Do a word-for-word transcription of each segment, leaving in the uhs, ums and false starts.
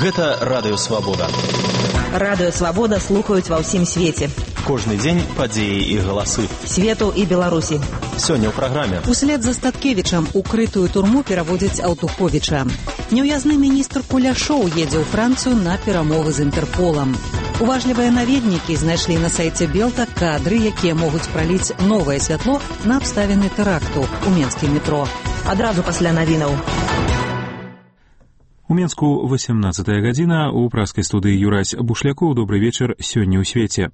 Гэта Радыё Свабода. Радыё Свабода слухаюць ва ўсім свеце. Кожны дзень падзеі і галасы. Свету і Беларусі. Сёння ў праграме. Услед за Статкевічам укрытую турму пераводзяць Аўтуховіча. Няўязны міністр Куляшоў едзе ў Францыю на перамовы з Інтэрполам. Уважлівыя наведнікі знайшлі на сайце Белта кадры, якія могуць праліць новае святло на абставіны тэракту ў менскім метро. Адразу пасля навінаў. У Менску восемнадцатая гадзіна, у праскай студыі Юрась Бушлякоў. Добры вечар сёння ў свеце.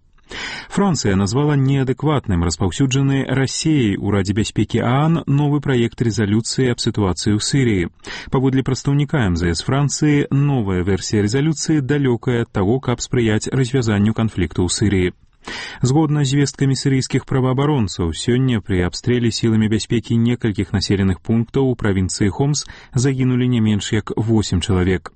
Францыя назвала неадэкватным распаўсюджаны Расіяй у Радзе бяспекі ААН новы праект рэзалюцыі аб сітуацыі ў Сірыі. Паводле прадстаўніка эм зэ эс Францыі, новая версія рэзалюцыі далёкая ад таго, каб спрыяць развязанню канфлікту ў Сірыі. Згодна з звесткамі сірыйскіх праваабаронцаў, сёння пры абстрэле сіламі бяспекі некалькіх населеных пунктаў у правінцыі Хомс загінулі не менш як восем чалавек.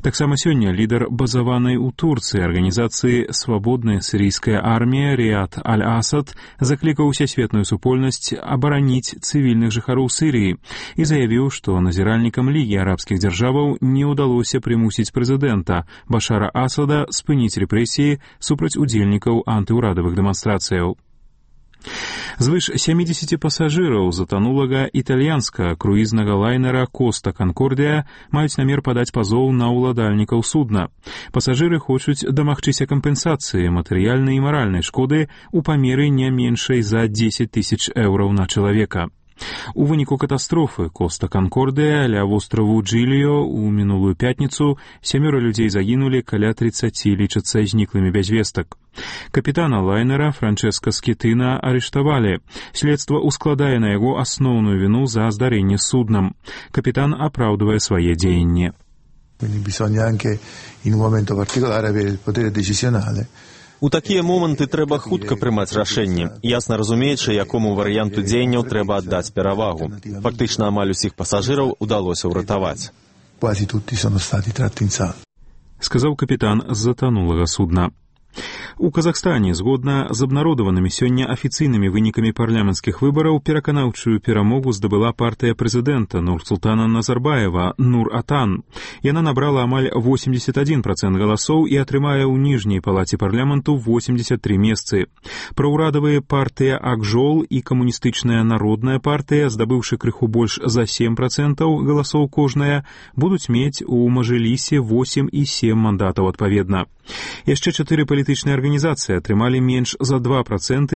Таксама сёння лідар базаванай у Турцыі арганізацыі «Свабодная сірыйская армія» Ріад Аль-Асад заклікаў усесветную супольнасць абараніць цывільных жыхароў Сірыі і заявіў, што назіральнікам Лігі арабскіх дзяржаваў не ўдалося прымусіць прэзідэнта Башара Асада спыніць рэпрэсіі супраць удзельнікаў антыўрадавых дэманстрацыяў. Звыш сямідзесяці пасажыраў затанулага італьянскага круізнага лайнера «Коста Канкордія» маюць намер падаць пазоў на ўладальнікаў судна. Пасажыры хочуць дамагчыся кампенсацыі матэрыяльнай і маральнай шкоды ў памеры не меншай за дзесяць тысяч еўраў на чалавека. У выніку катастрофы «Коста Канкордія» ля востраву Джиліо ў мінулую пятніцу сямёра людзей загінулі, каля трыццаці лічацца зніклымі без вестак. Капітана лайнера Франческа Скітына арыштавалі. Следства ускладае на яго асноўную віну за здарэнне з суднам. Капітан апраўдвае свае дзеянні. Bisogna anche in un momento particolare avere il potere decisionale. У такія моманты трэба хутка прымаць рашэнне, ясна разумеючы, якому варыянту дзеянняў трэба аддаць перавагу. Фактычна амаль усіх пасажыраў удалося ўратаваць. Quasi tutti sono stati tratti in salvo. Сказаў капітан з затанулага судна. У Казахстане, згодна з абнародаванымі сёння афіцыйнымі вынікамі парламенцкіх выбараў, пераканаўчую перамогу здабыла партыя прэзідэнта Нурсултана Назарбаева «Нур-Атан». Яна набрала амаль восемьдесят один процент галасоў і атрымае ў ніжняй палаце парламенту восемьдесят три месцы. Праўрадавыя партыя «Акжол» і камуністычная народная партыя, здабыўшы крыху больш за сем процентаў галасоў кожная, будуць мець у Мажэлісе восемь і сем мандатаў адпаведна. Яшчэ чатыры палітычныя арганізацыі атрымалі менш за два проценты